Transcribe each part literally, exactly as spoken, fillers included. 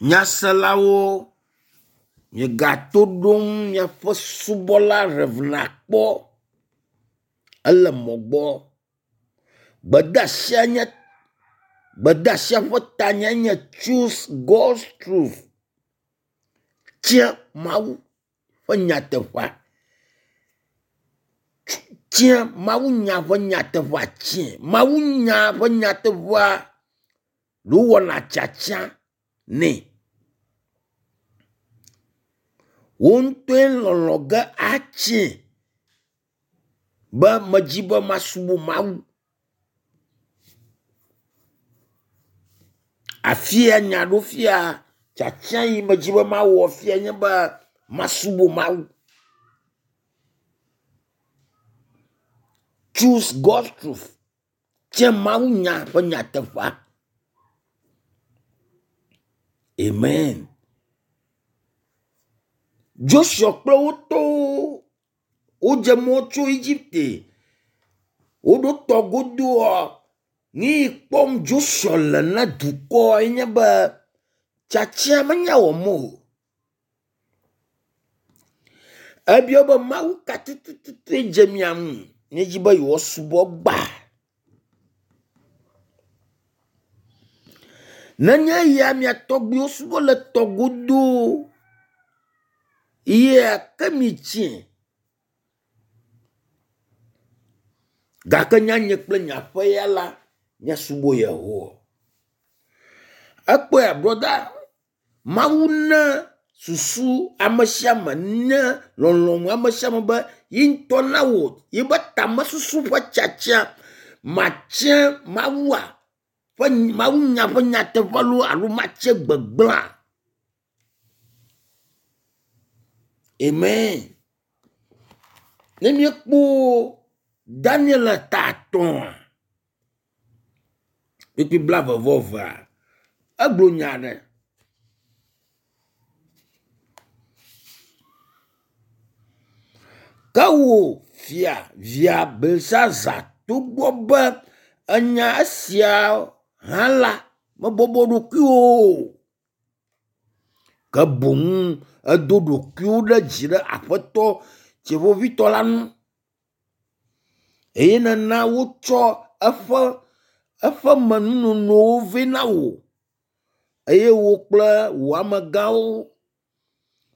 Nyaselawo, miegato ɖom miaƒe subɔla Rev. Akpɔ ele mɔ gbɔ. Gbedeasia nye gbedeasia ƒe tanyae nye “Choose God's truth” tia Mawu ƒe nyateƒea. Tia Mawunya ƒe nyateƒea tia Mawunya ƒe nyateƒea ɖe wowɔna tiatia nɛ. Wò ŋutɔe lɔlɔ ge atie be medzi be masubɔ Mawu. Afia nya ɖo fia tiatia yi medzi be mawɔ fia nye be masubɔ Mawu. Choose God's truth. Tia Mawunya ƒe nyateƒea. Amen. Joshua kple wo tɔwo wodze mɔ tso Egipte. Woɖo tɔ godoa, nu yi kpɔm Joshua le na dukɔa nye be tiatia menya wɔm o. Ebia be Mawu ka tututue dze mia ŋu miedzi be yewoasubɔ gbã. Nenye eya mia tɔgbuiwo subɔ le tɔ godo yea ke mitsie. Gake nye nye kple nye aƒe ya la, míasubɔ Yehowa. Ekpɔea brɔda, Mawu na susu ame sia ame ne lɔlɔ̃nu ame sia ame be ye ŋutɔ nawɔ yebe tamesusu ƒe tiatia. Matia Mawua ƒe Mawunya ƒe nyateƒe loo alo matia gbegblẽa. Amen. Ne míekpɔ Daniel ta atɔ̃a, kpukpui blaeve vɔ evea, egblɔ nya aɖe. Ke wò fia via Belsazar togbɔ be enya esia hã la, mebɔbɔ ɖokuiwò o. Ke boŋ edo ɖokuiwò ɖe dzi ɖe Aƒetɔ Dziƒoʋĩtɔ la ŋu eye nena wotsɔ eƒe eƒemenunonowo vɛ na wò eye wò kple wò amegãwo,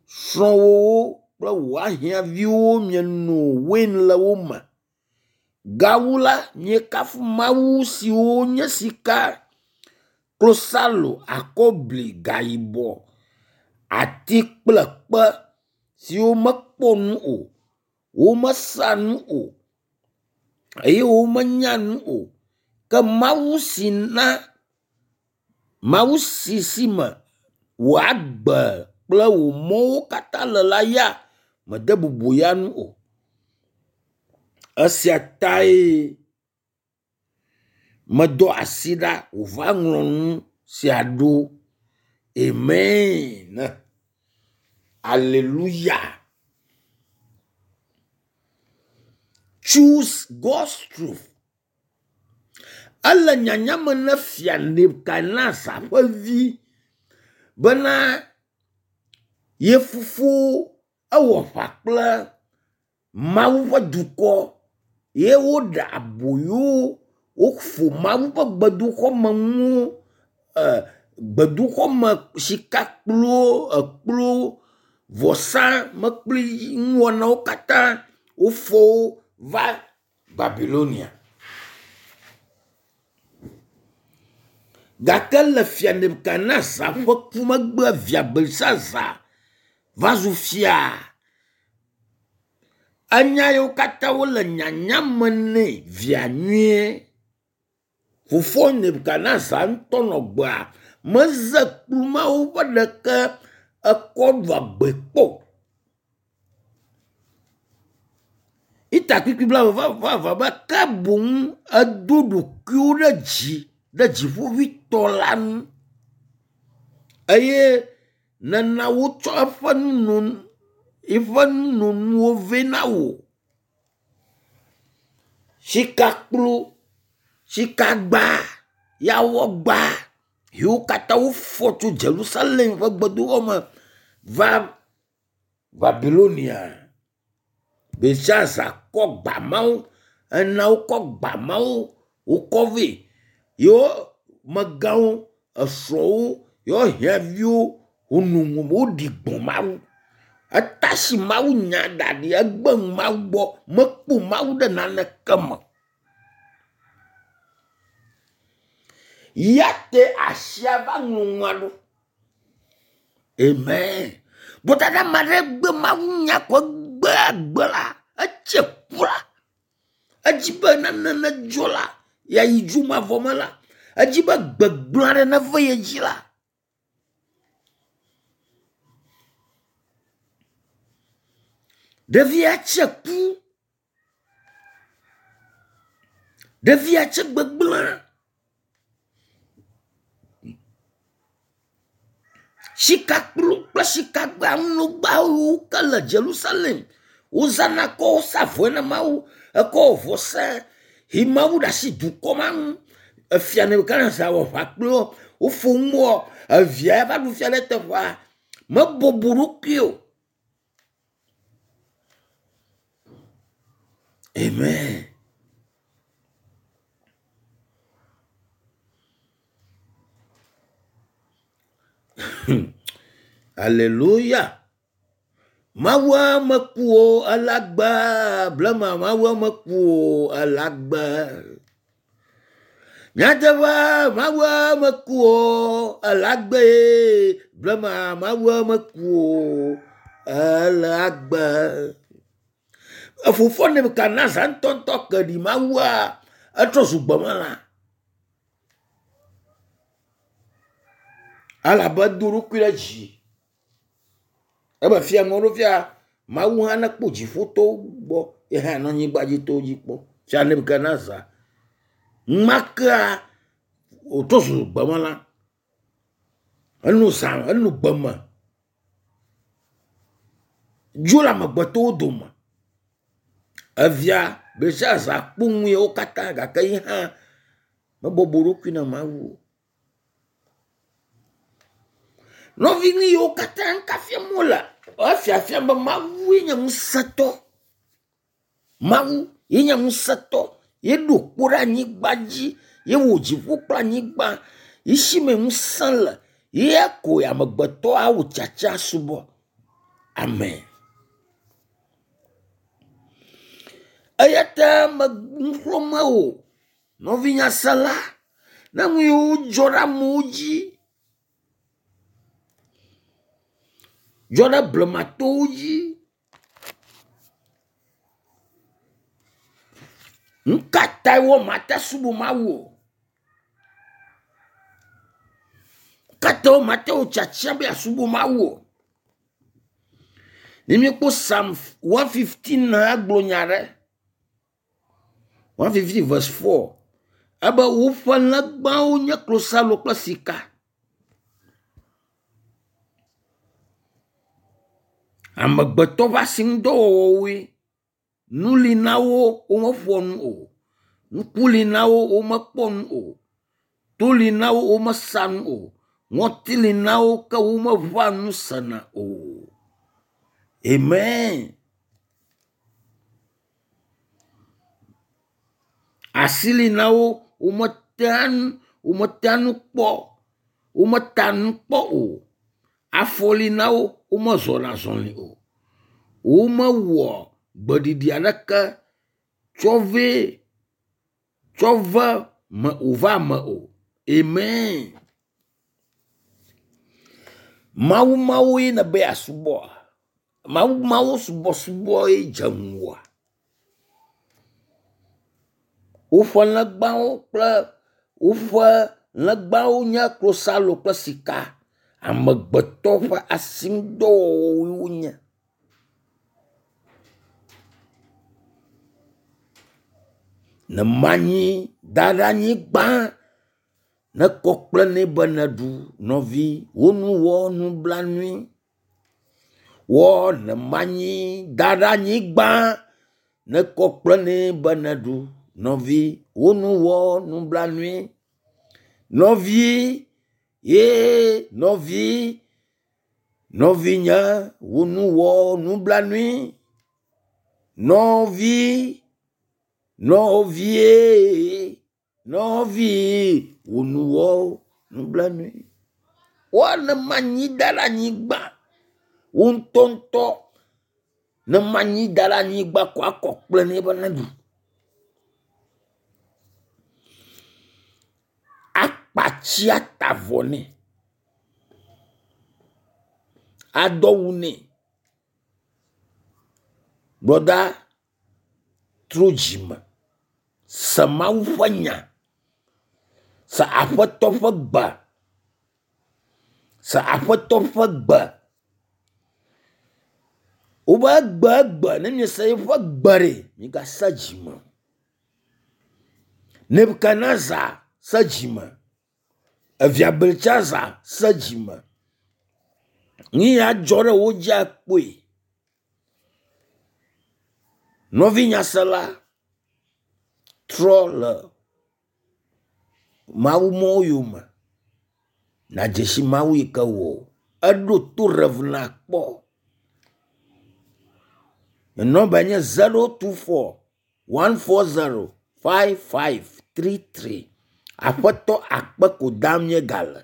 srɔ̃wòwo kple wò ahiãviwo mieno wein le wo me. Gawu la, miekafu mawu siwo nye sika, klosalo, akɔbli, gayibɔ, ati kple kpe siwo mekpɔ nu o, womesea nu o eye womenya nu o. Ke Mawu si na Mawu si si me wò agbe kple wò mɔwo katã le la ya mede bubu ya ŋu o. Esia tae medɔ asi ɖa wòva ŋlɔ nu sia ɖo. Amen. Aleluya. Choose God's truth. Ele nyanya me na fia Nebukadnezar ƒe vi bena ye fofo ewɔ aʋa kple Mawu ƒe dukɔ ye woɖe aboyo woƒo Mawu ƒe gbedoxɔmenuwo e gbedoxɔme sikakpluwo, ekpluwo, vɔsamlekpui nuwɔnawo katã wofɔ wo va Babilonia. Gake le fia Nebukadnezar ƒe ku megbe via Belsazar va zu fia. Enya yiwo katã wole nyanya me nɛ via nyuie. Fofoa Nebukadnezar ŋutɔ nɔ gbea meze kplu mawo ƒe ɖeke ekɔ ɖu agbe kpɔ o. Ita kpukpui blaeve vɔ eve be ke boŋ edo ɖokuiwo ɖe dzi ɖe dziƒoʋĩtɔ la ŋu eye nena wotsɔ eƒe nunonu eƒe nunonuwo vɛ na wò. Sikakplu, sikagba, yawɔgba, Yiwo katã wofɔ tso Jerusalem ƒe gbedoxɔ me va Babilonia. Belshaza kɔ gba mawo ena wokɔ gba mawo wokɔ vɛ. Yewo megãwo, esrɔ̃wo, yewo hiaviwo wono nu woɖi gbɔ̃ Mawu. Etasi Mawu nya da ɖi egbe nu Mawu gbɔ mekpɔ Mawu ɖe naneke me. Ya te asia va ŋlɔ nua ɖo. Amen. Bɔtata ame aɖe gbe Mawu nya kɔ gbe agbe la, etse ku la. Edzi be nane nedzɔ la, yeayi dzomavɔ me la. Edzi be gbegblẽ aɖe neve ye dzi la. Ɖevia tse ku. Ɖevia tse gbegblẽ. Sikakplu kple sikagba nugbawo ke le Jerusalem. Wozãna kɔ sa vɔe na Mawu. Ekɔ wɔ vɔsa yi Mawu ɖe asi dukɔ ma ŋu. Efia Nebukadnezar wɔ aʋa kpli wo. Wofo nuwɔ. Evia va ɖu fia ɖe teƒea. Mebɔbɔ ɖokui o. Amen. Alléluia. Mawua meku o elagbe blema Mawua meku o elagbe. Nyateƒe Mawua meku o elagbe blema Mawua meku o elagbe. Efofoa Nebukadnezar ŋutɔŋutɔ ke ɖi Mawua etrɔ zu gbemelã. Elabe edo eɖokui ɖe dzi. Ebe fia ŋɔ ɖo fia Mawu hã nekpɔ dziƒotɔwo gbɔ ye hã nɔ anyigba dzi tɔwo dzi kpɔ. Fia Nebukadnezar makea wòtrɔ zu gbemelã. Enu zã enu gbeme. Dzo le amegbetɔwo dome. Evia Belshaza kpɔ nu yawo katã gake ye hã mebɔbɔ eɖokui na Mawu o. Nɔvi nu yiwo katã ŋka fiam wole efiafia be Mawue nye ŋusẽtɔ. Mawu ye nye ŋusẽtɔ. Ye ɖo kpo ɖe anyigba dzi. Ye wɔ dziƒo kple anyigba. Yi si me ŋusẽ le. Ye koe amegbetɔ awɔ tsatsa subɔ. Amen. Eya ta me nuxlɔ̃me wò nɔvi nyasela ne nu yiwo dzɔ ɖe amewo dzi dzɔ ɖe blematɔwo dzi. Nu ka tae wɔ mate subɔ Mawu o? Nu ka tae wɔ mate wò tiatia be yeasubɔ Mawu o? Ne míekpɔ Psalm one fifteen gblɔ nya ɖe. one fifteen verse four. Ebe woƒe legbawo nye klosalo kple sika. Amegbetɔ ƒe asinudɔwɔwɔwoe. Nu li na wo womeƒoa nu o. Ŋku li na wo womekpɔ nu o. To li na wo womesa nu o. Ŋɔti li na wo ke womeʋã nu sena o. Amen. Asi li na wo wometea nu wometea nu kpɔ wometa nu kpɔ o. Afɔ li na wo womezɔna azɔli o. Womewɔ gbeɖiɖi aɖeke tsɔ vɛ tsɔ ve me wòva me o. Amen. Mawu mawoe nebe yeasubɔa? Mawu mawo subɔsubɔ ye dze ŋuwòa? Woƒe legbawo kple woƒe legbawo nye klosalo kple sika. Amegbetɔ ƒe asinudɔwɔwɔwoe wonye. Ne manyi da ɖe anyigba ne kɔ kple nɛ be neɖu nɔvi wo nu wɔ nublanui. Wɔ ne manyi da ɖe anyigba ne kɔ kple nɛ be neɖu nɔvi wo nu wɔ nublanui. Nɔvi Ye nɔvi, nɔvinye, wò nu wɔ nublanui. Nɔvi, nɔvie, nɔvi, wò nu wɔ nublanui. Woa ne manyi da ɖe anyigba. Wo ŋutɔŋutɔ ne manyi da ɖe anyigba ko akɔ kple nɛ be neɖu. Akpatsi ata avɔ nɛ. Adɔ wu nɛ. Brɔda, trɔ dzime. Se Mawu ƒe nya. Se Aƒetɔ ƒe gbe. Se Aƒetɔ ƒe gbe. Wobe egbe egbe ne miese yeƒe gbe ɖe, migase dzime o. Nebukadnezar se dzime. Evia Beltsazar se dzime. Nu ya dzɔ ɖe wo dzia kpɔe. Nɔvi nyasela, trɔ le Mawu mɔwo yome. Nàdze si Mawu yi ke wɔ wò. Eɖo to Rev. Akpɔ. Nye nɔmba nye zero two four one four zero five five three three. Aƒetɔ akpe ko dam míegale.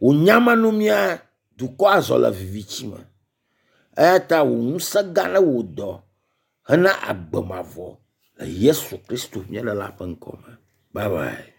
Wò nyamenumia, dukɔ azɔ le viviti me. Eya ta wò ŋusẽ gã ne wò dɔ hena agbe mavɔ le Yesu Kristo mía Ɖela ƒe ŋkɔ me. Bye bye.